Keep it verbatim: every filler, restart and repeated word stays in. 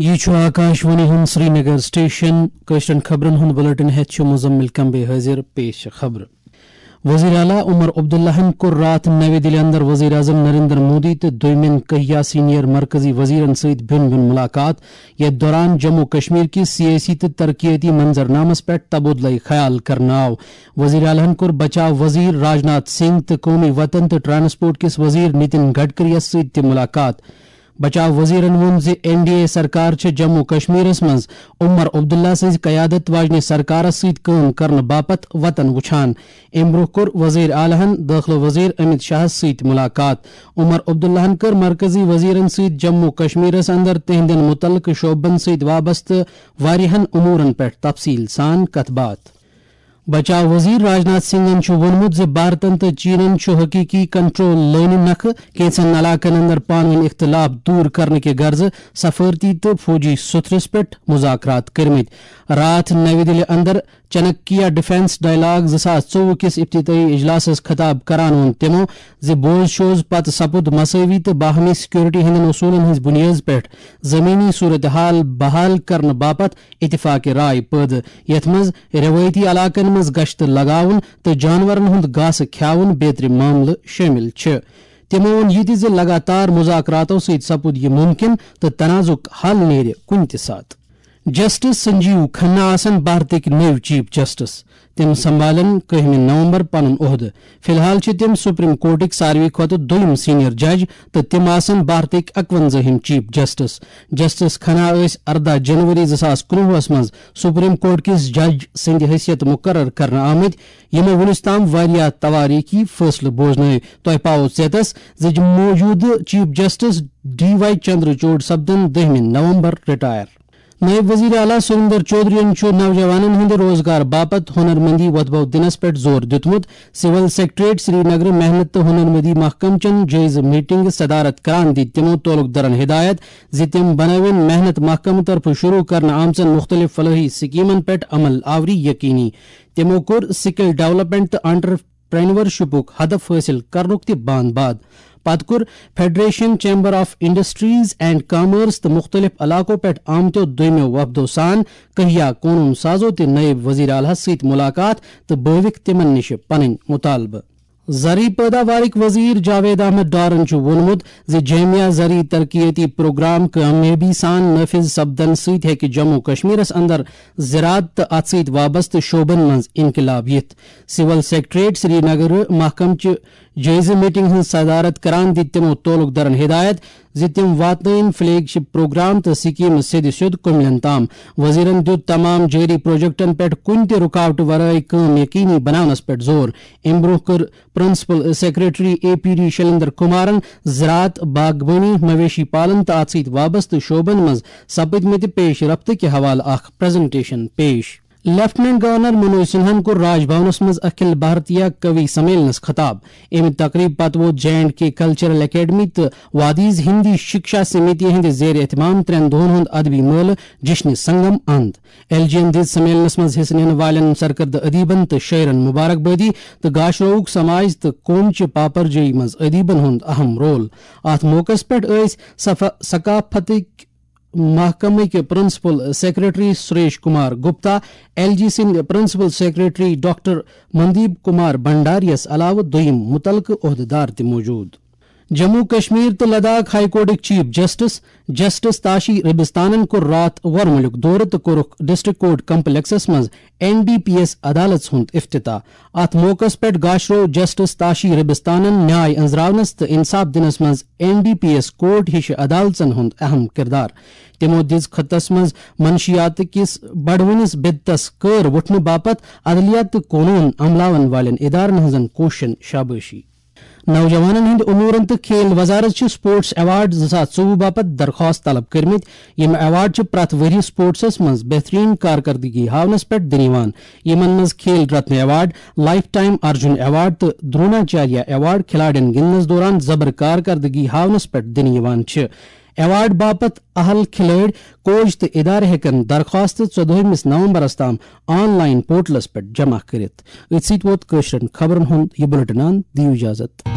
یہِ چھُ آکاش وانی ہُنٛد سرینگر سٹیشن۔ کٲشرٮ۪ن خبرن ہُنٛد بلیٹن ہٮ۪تھ چھُ مزمل کمبے حٲضِر۔ پیش چھِ خبرٕ۔ وزیر اعلیٰ عمر عبداللہن کوٚر راتھ نوِ دِلہِ اندر وزیر اعظم نریندر مودی تہٕ دوٚیمٮ۪ن کہیا سینئر مرکزی وزیرن سۭتۍ بیوٚن بیوٚن ملاقات، یتھ دوران جموں کشمیر کِس سیٲسی تہٕ ترقیٲتی منظرنامس پٮ۪ٹھ تبادلہٕ خیال کرنہٕ آو۔ وزیر اعلیٰ ہن کوٚر بچاو وزیر راجناتھ سنگھ تہٕ قومی وطن تہٕ ٹرانسپورٹ کِس وزیر نتن گڈکری یَس سۭتۍ تہِ ملاقات۔ بچاو وزیرن ووٚن زِ این ڈی اے سرکار چھِ جموں کشمیرس منٛز عمر عبداللہ سٕنٛزِ قیادت واجنہِ سرکارس سۭتۍ کٲم کرنہٕ باپتھ وطن وُچھان۔ امہِ برٛونٛہہ کوٚر وزیر اعلیٰ ہن دٲخلہٕ وزیر امت شاہس سۭتۍ ملاقات۔ عمر عبداللہن کٔر مرکزی وزیرن سۭتۍ جموں کشمیرس اندر تِہنٛدٮ۪ن مُتعلقہٕ شعبن سۭتۍ وابستہٕ واریاہن امورن پٮ۪ٹھ تفصیل سان کتھ باتھ۔ بچاو وزیر راجناتھ سنگھن چھُ ووٚنمُت زِ بھارتن تہٕ چینن چھُ حقیقی کنٹرول لٲنہِ نکھٕ کینٛژن علاقن اندر پانہٕ ؤنۍ اختلاف دور کرنہٕ کہِ غرضہٕ سفارتی تہٕ فوجی سوٚتھرس پٮ۪ٹھ مذاکرات کٔرمٕتۍ۔ راتھ نوِ دِلہِ اندر چانکیہ ڈیفنس ڈائیلاگ زٕ ساس ژوٚوُہ کِس افتتاحی اجلاسس خطاب کران ووٚن تِمو زِ بوز شوز پتہٕ سپُد مساوی تہٕ باہمی سیکورٹی ہٕنٛدٮ۪ن اصولن ہٕنٛز بنیٲد پٮ۪ٹھ زمینی صورتحال بحال کرنہٕ باپتھ اتفاق رائے پٲدٕ، یتھ منٛز روایتی علاقن منٛز گشت لگاوُن تہٕ جانورن ہُنٛد گاسہٕ کھیاوُن بیترِ معاملہٕ شٲمِل چھِ۔ تِمو ووٚن یہِ تہِ زِ لگاتار مذاکراتو سۭتۍ سپُد یہِ مُمکِن تہٕ تنازُک حل نیرِ کُنہِ تہِ ساتہٕ۔ جسٹس سنجیو کھنہ آسن بھارتٕکۍ نٔوۍ چیف جسٹس۔ تِم سنبھالن کٔہمہِ نومبر پنُن عہدٕ۔ فی الحال چھِ تِم سپریم کورٹٕکۍ ساروی کھۄتہٕ دوٚیِم سینئر جج تہٕ تِم آسن بھارتٕکۍ اکوَنزٲہِم چیف جسٹس۔ جسٹس کھنہ ٲسۍ ارداہ جنوری زٕ ساس کُنوُہس منٛز سپریم کورٹ کِس جج سٕنٛدِ حیثیت مقرر کرنہٕ آمٕتۍ، یِمو وُنیُس تام واریاہ توٲریٖخی فٲصلہٕ بوزنٲوۍ۔ تۄہہِ پاوو ژیتس زِ موجودٕ چیف جسٹس ڈی وائی چندرچوڈ سپدن دٔہمہِ نومبر رٹائر۔ نائب وزیر اعلیٰ سریندر چودھرین چھُ نوجوانن ہٕنٛدِ روزگار باپتھ ہنرمندی وۄتھبو دِنس پٮ۪ٹھ زور دیُتمُت۔ سول سیکرٹریٹ سری نگر محنت تہٕ ہنرمندی محکمہٕ چٮ۪ن جٲیزٕ میٹنگہِ صدارت کران دِتۍ تِمو تعلق دارن ہدایت زِ تِم بنٲوِن محنت محکمہٕ طرفہٕ شروع کرنہٕ آمژن مُختٔلِف فلٲحی سکیمن پٮ۪ٹھ عمل آوری یقینی۔ تِمو کوٚر سکل ڈیولپمنٹ تہٕ انٹرپرینورشپُک ہدف حٲصِل کرنُک تہِ باند باد۔ پتہٕ کوٚر federation chamber of industries and commerce تہٕ مُختٔلِف علاقو پٮ۪ٹھ آمتیو دوٚیمیو وفدو سان کہیا قونوٗن سازو تہِ نٲیِب وزیر اعلیٰ ہَس سۭتۍ مُلاقات تہٕ بٲوِکھ تِمن نِش پنٕنۍ مُطالبہٕ۔ زرعی پٲداوارٕکۍ وزیر جاوید احمد ڈارن چھُ ووٚنمُت زِ جامعہ زرعی ترقیتی پروگرام کامیٲبی سان نافذ سپدنہٕ سۭتۍ ہیٚکہِ جموں کشمیرس اندر زراعت تہٕ اتھ سۭتۍ وابستہٕ شعبن منٛز انقلاب یِتھ۔ سول سیکرٹریٹ سری نگر محکمہٕ چہِ جٲیزٕ میٹنگ ہٕنٛز صدارت کران دِتۍ تِمو تعلق دارن ہدایت زِ تِم واتنٲوِن فلیگ شپ پروگرام تہٕ سکیمہٕ سیٚدِ سیوٚد کُملٮ۪ن تام۔ وزیرن دِیُت تمام جٲری پروجیکٹن پٮ۪ٹھ کُنہِ تہِ رُکاوٹہٕ ورٲے کٲم یقینی بناونس پٮ۪ٹھ زور۔ امہِ برٛونٛہہ کٔر principal secretary A P D Shailendra کمارن زراعت، باغبٲنی، مویشی پالن تہٕ اتھ سۭتۍ وابستہٕ شعبن منٛز سپدمٕتہِ پیش رفتہٕ کہِ حوالہٕ اکھ پریزنٹیشن پیش۔ لیفٹیننٹ گورنر منوج سنہاہن کوٚر راج بھونس منٛز اکھل بھارتیہ کوی سمیلنس خطاب۔ امہِ تقریبہِ پتہٕ ووت J and K cultural academy تہٕ وادیز ہندی شکشا سمیتی ہٕنٛدِ زیر اہتمام ترٛٮ۪ن دۄہن ہُنٛد ادبی مٲلہٕ جشن سنگم اند۔ ایل جی ین دِژ سمیلنس منٛز حصہٕ نِنہٕ والٮ۪ن سرکردٕ ادیبن تہٕ شٲعرن مبارکبٲدی تہٕ گاشروہُک سماج تہٕ قوم چہِ پاپرجٲیی منٛز ادیبن ہُنٛد اہم رول۔ اتھ موقعس پٮ۪ٹھ ٲسۍ صفا-، ثقافتٕکۍ محکمٕکۍ principal secretary Suresh Kumar Gupta, L G سٕنٛدۍ principal secretary doctor Mandeep Kumar بھنڈاریَس علاوٕ دوٚیِم مُتعلقہٕ عہدٕدار تہِ موجود۔ جموں کشمیر تہٕ لداخ ہائی کورٹٕکۍ چیف جسٹس، جسٹس تاشی ربستانن کوٚر راتھ وۄرمُلیُک دورٕ تہٕ کوٚرُکھ ڈسٹرکٹ کورٹ کمپلیکسس منٛز این ڈی پی ایس عدالژ ہُنٛد افتتاح۔ اتھ موقعس پٮ۪ٹھ گاشرو جسٹس تاشی ربستانن نیاے أنٛزراونس تہٕ انصاف دِنس منٛز N D P S court ہِش عدالژن ہُنٛد اہم کردار۔ تِمو دِژ خطس منٛز منشیات کِس بڑوٕنِس بدتس کٲر وُٹھنہٕ باپتھ عدلیہ تہٕ قونوٗن عملاون والٮ۪ن ادارن ہٕنٛزن کوٗششن شابٲشی۔ نوجوانن ہٕنٛدِ امورن تہٕ کھیل وزارت چھِ سپورٹس ایوارڈ زٕ ساس ژوٚوُہ باپتھ درخواست طلب کٔرمٕتۍ۔ یِم ایوارڈ چھِ پرٛٮ۪تھ ؤرۍ یہِ سپورٹسس منٛز بہترین کارکردگی ہاونس پٮ۪ٹھ دِنہٕ یِوان۔ یِمن منٛز Khel Ratna award, lifetime Arjuna award تہٕ دروناچاریہ ایوارڈ کھلاڑین گِنٛدنس دوران زبر کارکردگی ہاونس پٮ۪ٹھ دِنہٕ یِوان چھِ۔ ایوارڈ باپتھ اہل کھلٲڑۍ، کوچ تہٕ ادارٕ ہیٚکن درخواست ژۄدٲہمِس نومبرس تام آن لائن پورٹلس پٮ۪ٹھ جمع کٔرِتھ۔ أتھۍ سۭتۍ ووت کٲشرٮ۪ن خبرن ہُنٛد یہِ بُلٹن اند۔ دِیِو اجازت۔